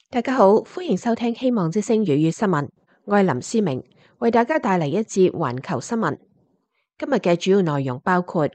大家好，歡迎收聽希望之聲粵語新聞，我係林思明，為大家帶嚟一節環球新聞。今日嘅主要內容包括：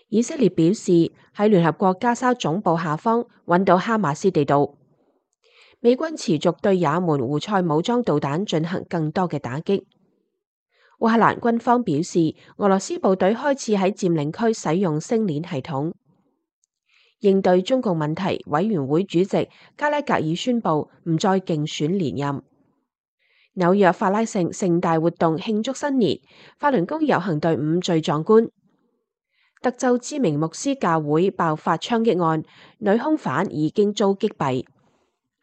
以色列表示喺聯合國加沙總部下方揾到哈馬斯地道；美軍持續對也門胡塞武裝導彈進行更多嘅打擊；烏克蘭軍方表示俄羅斯部隊開始喺佔領區使用星鏈系統。應對中共問題委員會主席加拉格爾宣布唔再競選連任。紐約法拉盛盛大活動慶祝新年，法輪功遊行隊伍最壯觀。德州知名牧師教會爆發槍擊案，女兇犯已經遭擊斃。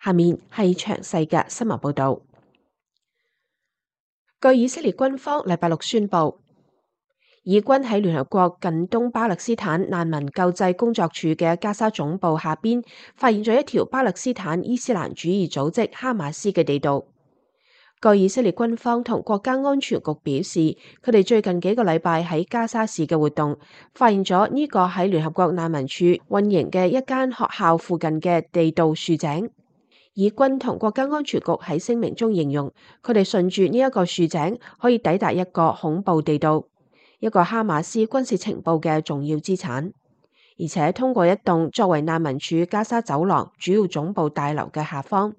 下面係詳細嘅新聞報導。據以色列軍方禮拜六宣布，以軍喺聯合國近東巴勒斯坦難民救濟工作處嘅加沙總部下邊發現咗一條巴勒斯坦伊斯蘭主義組織哈馬斯嘅地道。據以色列軍方同國家安全局表示，佢哋最近幾個禮拜喺加沙市嘅活動，發現咗呢個喺聯合國難民署運營嘅一間學校附近嘅地道豎井。以軍同國家安全局喺聲明中形容，佢哋順住呢一個豎井可以抵達一個恐怖地道，一個哈馬斯軍事情報嘅重要資產，而且通過一棟作為難民署加沙走廊主要總部大樓嘅下方。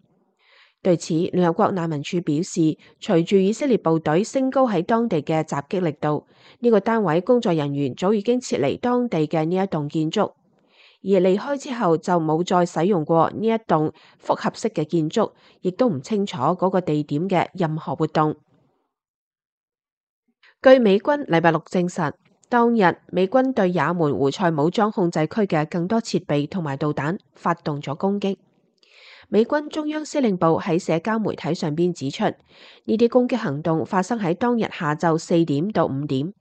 對此，聯合國難民署表示，隨住以色列部隊升高喺當地嘅襲擊力度，呢個單位工作人員早已經撤離當地嘅呢一棟建築，而離開之後就冇再使用過呢一棟複合式嘅建築，亦都唔清楚嗰個地點嘅任何活動。據美軍禮拜六證實，當日美軍對也門胡塞武裝控制區嘅更多設備同埋導彈發動咗攻擊。美軍中央司令部喺社交媒體上邊指出，呢啲攻擊行動發生喺當日下晝4點到5點。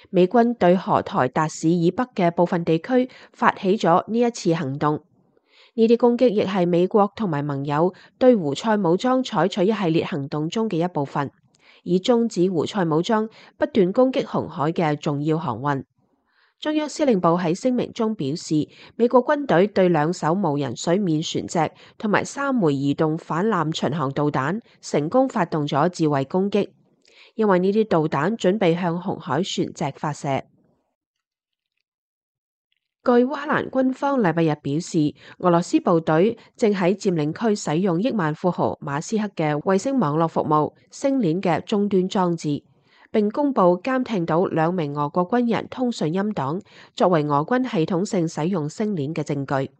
美軍對荷台達市以北嘅部分地區發起咗呢一次行動。呢啲攻擊亦係美國同埋盟友對胡塞武裝採取一系列行動中嘅一部分，以終止胡塞武裝不斷攻擊紅海嘅重要航運。中央司令部喺聲明中表示，美國軍隊對2艘無人水面船隻同埋3枚移動反艦巡航導彈成功發動咗自衛攻擊，因為呢啲導彈準備向紅海船隻發射。據烏克蘭軍方禮拜日表示，俄羅斯部隊正喺佔領區使用億萬富豪馬斯克嘅衛星網絡服務星鏈嘅終端裝置，並公布監聽到2名俄國軍人通訊音檔，作為俄軍系統性使用星鏈嘅證據。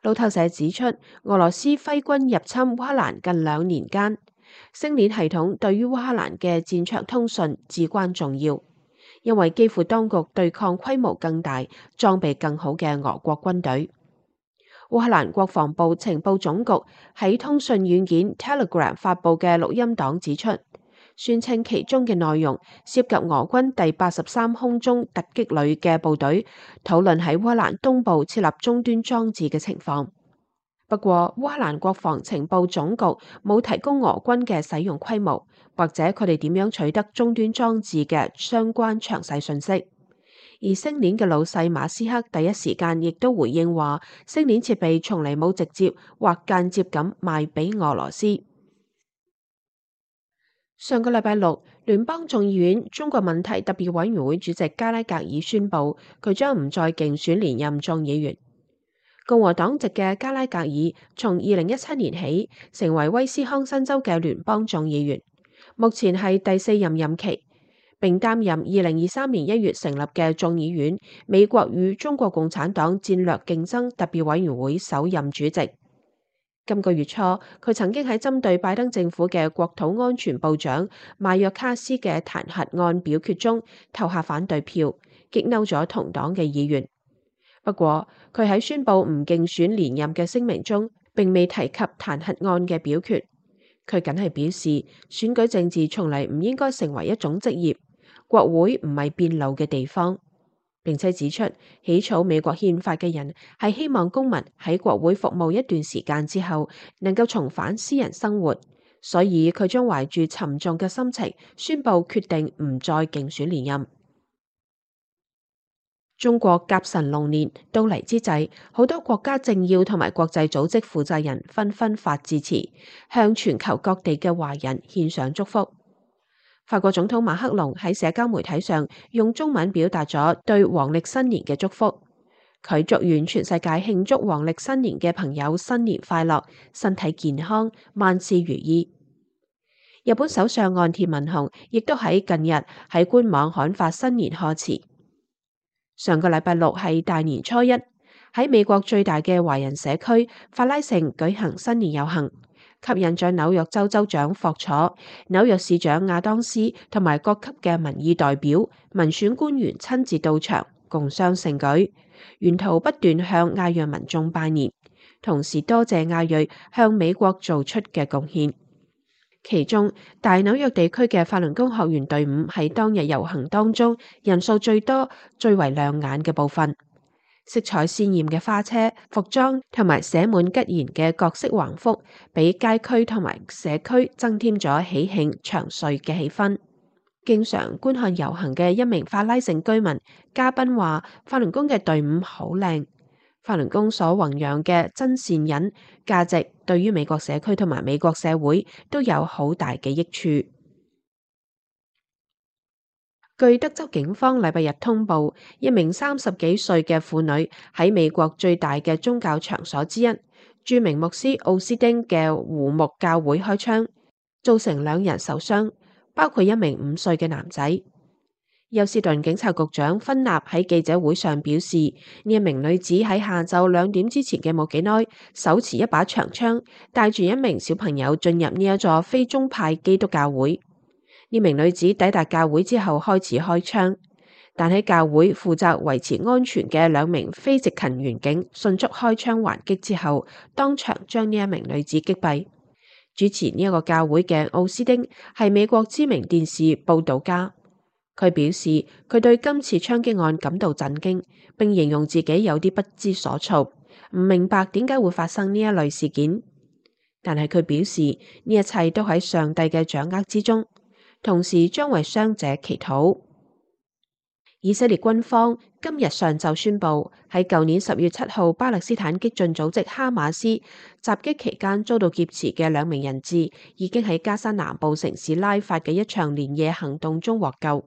路透社指出，俄羅斯揮軍入侵烏克蘭近2年間，星鏈系統對於烏克蘭嘅戰場通訊至關重要，因為基輔當局對抗規模更大、裝備更好嘅俄國軍隊。烏克蘭國防部情報總局喺通訊軟件 Telegram 發佈嘅錄音檔指出，宣稱其中嘅內容涉及俄軍第83空中突擊旅嘅部隊討論喺烏克蘭東部設立終端裝置嘅情況。不過，烏克蘭國防情報總局冇提供俄軍嘅使用規模，或者佢哋點樣取得終端裝置嘅相關詳細信息。而星鏈嘅老細馬斯克第一時間亦都回應話，星鏈設備從嚟冇直接或間接咁賣俾俄羅斯。上個禮拜六，聯邦眾議院中國問題特別委員會主席加拉格爾宣布，佢將唔再競選連任眾議員。共和黨籍嘅加拉格爾從2017年起成為威斯康辛州嘅聯邦眾議員，目前係第4任任期，並擔任2023年1月成立嘅眾議院美國與中國共產黨戰略競爭特別委員會首任主席。今個月初，佢曾經喺針對拜登政府嘅國土安全部長邁約卡斯嘅彈劾案表決中投下反對票，激嬲咗同黨嘅議員。不過，佢喺宣布唔競選連任嘅聲明中，並未提及彈劾案嘅表決。佢僅係表示，選舉政治從嚟唔應該成為一種職業，國會唔係辯路嘅地方。並且指出，起草美國憲法嘅人係希望公民喺國會服務一段時間之後，能夠重返私人生活，所以佢將懷住沉重嘅心情宣布決定唔再競選連任。中國甲辰龍年到嚟之際，好多國家政要同埋國際組織負責人紛紛發致辭，向全球各地嘅華人獻上祝福。法國總統馬克龍喺社交媒體上用中文表達咗對黃曆新年嘅祝福，佢祝願全世界慶祝黃曆新年嘅朋友新年快樂，身體健康，萬事如意。日本首相岸田文雄亦都喺近日喺官網刊發新年賀詞。上個禮拜六係大年初一，喺美國最大嘅華人社區法拉盛舉行新年遊行，吸引咗紐約州州長霍楚、紐約市長亞當斯同埋各級嘅民意代表、民選官員親自到場，共襄盛舉，沿途不斷向亞裔民眾拜年，同時多謝亞裔向美國做出嘅貢獻。其中，大紐約地區嘅法輪功學員隊伍喺當日遊行當中人數最多、最為亮眼嘅部分。色彩鮮豔嘅花車、服裝同埋寫滿吉言嘅各式橫幅，俾街區同埋社區增添咗喜慶祥瑞嘅氣氛。經常觀看遊行嘅一名法拉盛居民嘉賓話：法輪功嘅隊伍好靚。法輪功所弘揚嘅真善忍價值，對於美國社區同埋美國社會都有好大嘅益處。據德州警方禮拜日通報，一名30幾歲嘅婦女喺美國最大嘅宗教場所之一，著名牧師奧斯丁嘅胡木教會開槍，造成2人受傷，包括一名5歲嘅男仔。休斯頓警察局長芬納喺記者會上表示，呢一名女子喺下晝2點之前嘅冇幾耐，手持一把長槍，帶住一名小朋友進入呢一座非宗派基督教會。呢名女子抵達教會之後開始開槍，但喺教會負責維持安全嘅2名非執勤員警迅速開槍還擊之後，當場將呢一名女子擊斃。主持呢一個教會嘅奧斯丁係美國知名電視報道家。佢表示，佢對今次槍擊案感到震驚，並形容自己有啲不知所措，唔明白點解會發生呢一類事件。但係佢表示，呢一切都喺上帝嘅掌握之中，同時將為傷者祈禱。以色列軍方今日上晝宣布，喺舊年10月7號巴勒斯坦激進組織哈馬斯襲擊期間遭到劫持嘅2名人質，已經喺加沙南部城市拉法嘅一場連夜行動中獲救。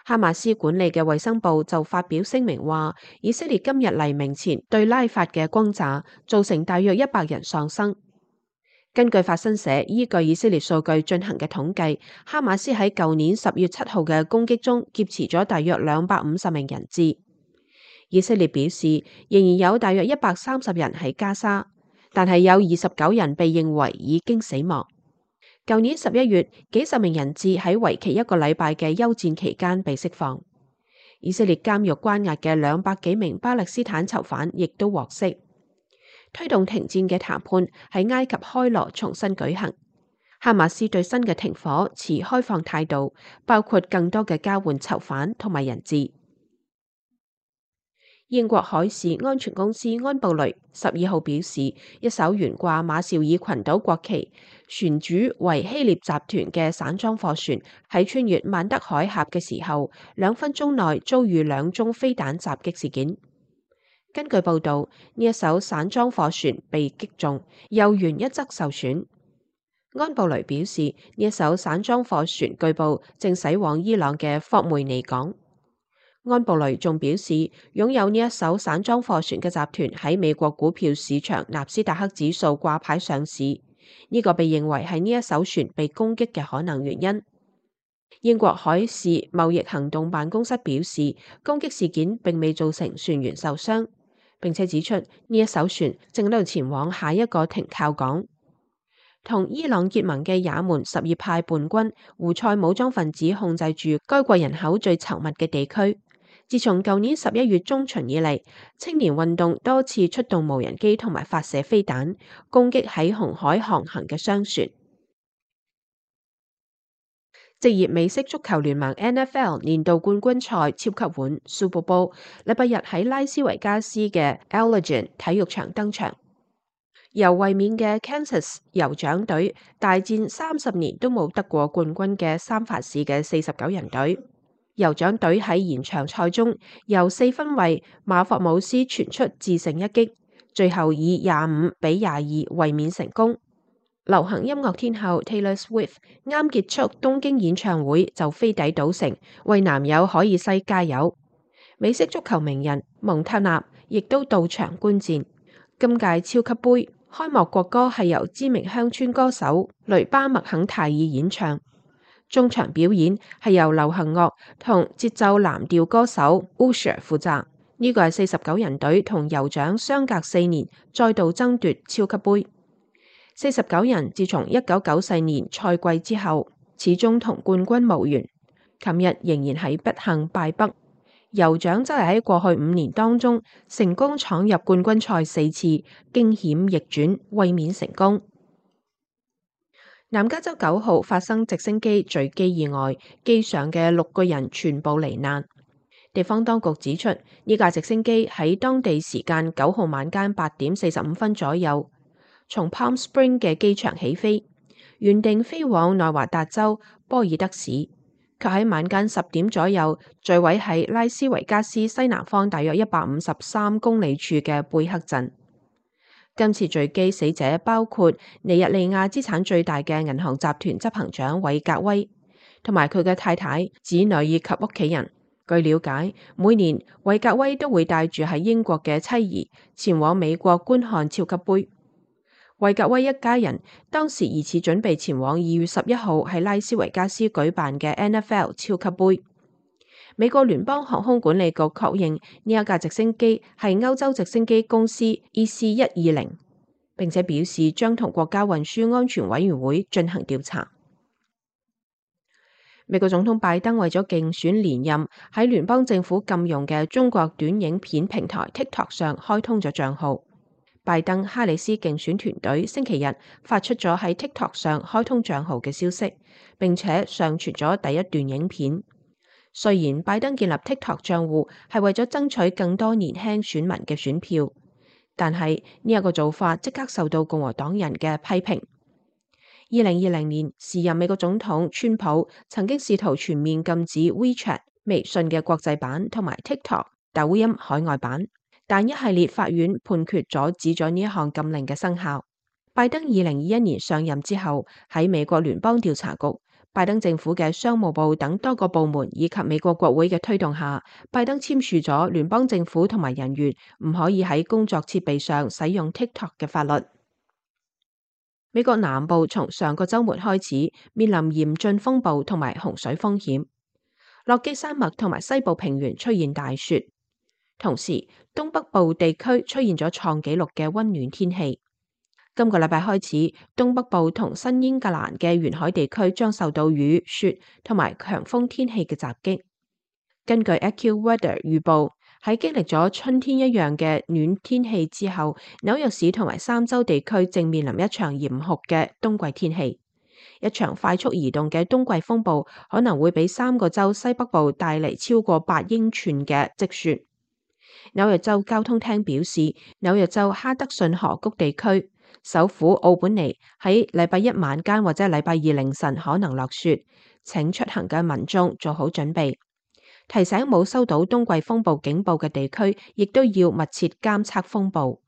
哈馬斯管理嘅衛生部就發表聲明話，以色列今日黎明前對拉法嘅轟炸，造成大約100人喪生。根據法新社依據以色列數據進行嘅統計，哈馬斯喺舊年10月7號嘅攻擊中劫持咗大約250名人質。以色列表示，仍然有大約130人喺加沙，但係有29人被認為已經死亡。舊年11月，幾十名人質喺為期1個禮拜嘅休戰期間被釋放。以色列監獄關押嘅200幾名巴勒斯坦囚犯亦都獲釋。推動停戰嘅談判喺埃及開羅重新舉行。哈馬斯對新嘅停火持開放態度，包括更多嘅交換囚犯同埋人質。英國海事安全公司安布雷12號表示，一艘懸掛馬紹爾群島國旗、船主為希臘集團嘅散裝貨船喺穿越曼德海峽嘅時候，2分鐘內遭遇2宗飛彈襲擊事件。根據報道，呢一艘散裝貨船被擊中，油源一側受損。安布雷表示，呢一艘散裝貨船據報正駛往伊朗嘅霍梅尼港。安布雷仲表示，擁有呢一艘散裝貨船嘅集團喺美國股票市場納斯達克指數掛牌上市，呢個被認為係呢一艘船被攻擊嘅可能原因。英國海事貿易行動辦公室表示，攻擊事件並未造成船員受傷，並且指出呢一艘船正喺度前往下一個停靠港。同伊朗結盟嘅也門什葉派叛軍胡塞武裝分子控制住該國人口最稠密嘅地區。自從舊年11月中旬以嚟，青年運動多次出動無人機同埋發射飛彈，攻擊喺紅海航行嘅商船。職業美式足球聯盟 NFL 年度冠軍賽超級碗 Super Bowl 禮拜日喺拉斯維加斯嘅 Allegiant 體育場登場，由衛冕嘅 Kansas 酋長隊大戰30年都冇得過冠軍嘅三藩市嘅49人隊。酋長隊喺延長賽中由4分衛馬霍姆斯傳出致勝一擊，最後以25-22衛冕成功。流行音樂天后 Taylor Swift 啱結束東京演唱會就飛抵賭城為男友海爾西加油。美式足球名人蒙塔納亦都到場觀戰。今屆超級盃開幕國歌係由知名鄉村歌手雷巴麥肯泰爾演唱，中場表演係由流行樂同節奏藍調歌手 Usher 負責。呢個係49人隊同酋長相隔4年再度爭奪超級盃。49人自從1994年賽季之後，始終同冠軍無緣。琴日仍然係不幸敗北。酋長則係喺過去5年當中成功闖入冠軍賽4次，驚險逆轉，衛冕成功。南加州9號發生直升機墜機意外，機上嘅6個人全部罹難。地方當局指出，呢架直升機喺當地時間9號晚間8點45分左右，從 Palm Spring 嘅機場起飛，原定飛往內華達州波爾德市，卻喺晚間10點左右墜毀喺拉斯維加斯西南方大約153公里處嘅貝克鎮。今次墜機死者包括尼日利亞資產最大嘅銀行集團執行長韋格威，同埋佢嘅太太、子女以及屋企人。據了解，每年韋格威都會帶住喺英國嘅妻兒前往美國觀看超級盃。韋格威一家人當時疑似準備前往2月11號喺拉斯維加斯舉辦嘅 NFL 超級盃。美國聯邦航空管理局確認呢一架直升機係歐洲直升機公司 EC120，並且表示將同國家運輸安全委員會進行調查。美國總統拜登為咗競選連任，喺聯邦政府禁用嘅中國短影片平台 TikTok 上開通咗賬號。拜登哈里斯競選團隊星期日發出咗喺 TikTok 上開通賬號嘅消息，並且上傳咗第一段影片。雖然拜登建立 TikTok 賬戶係為咗爭取更多年輕選民嘅選票，但係呢一個做法即刻受到共和黨人嘅批評。2020年，時任美國總統川普曾經試圖全面禁止 WeChat 微信嘅國際版同埋 TikTok 抖音海外版，但一系列法院判決阻止咗呢一項禁令嘅生效。拜登2021年上任之後，喺美國聯邦調查局、拜登政府嘅商務部等多個部門以及美國國會嘅推動下，拜登簽署咗聯邦政府同埋人員唔可以喺工作設備上使用 TikTok 嘅法律。美國南部從上個週末開始面臨嚴峻風暴同埋洪水風險，落基山脈同埋西部平原出現大雪，同時東北部地區出現咗創紀錄嘅溫暖天氣。今個禮拜開始，東北部同新英格蘭嘅沿海地區將受到雨、雪同埋強風天氣嘅襲擊。根據 AccuWeather 預報，喺經歷咗春天一樣嘅暖天氣之後，紐約市同埋三州地區正面臨一場嚴酷嘅冬季天氣。一場快速移動嘅冬季風暴可能會俾3個州西北部帶嚟超過8英寸嘅積雪。紐約州交通廳表示，紐約州哈德遜河谷地區、首府奧本尼喺禮拜一晚間或者禮拜二凌晨可能落雪，請出行嘅民眾做好準備。提醒冇收到冬季風暴警報嘅地區，亦都要密切監測風暴，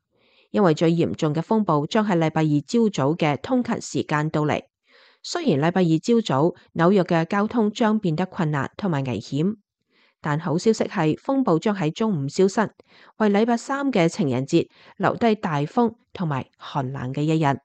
因為最嚴重嘅風暴將喺禮拜二朝早嘅通勤時間到嚟。雖然禮拜二朝早紐約嘅交通將變得困難同埋危險，但好消息係風暴將喺中午消失，為禮拜3嘅情人節留低大風同埋寒冷嘅一日。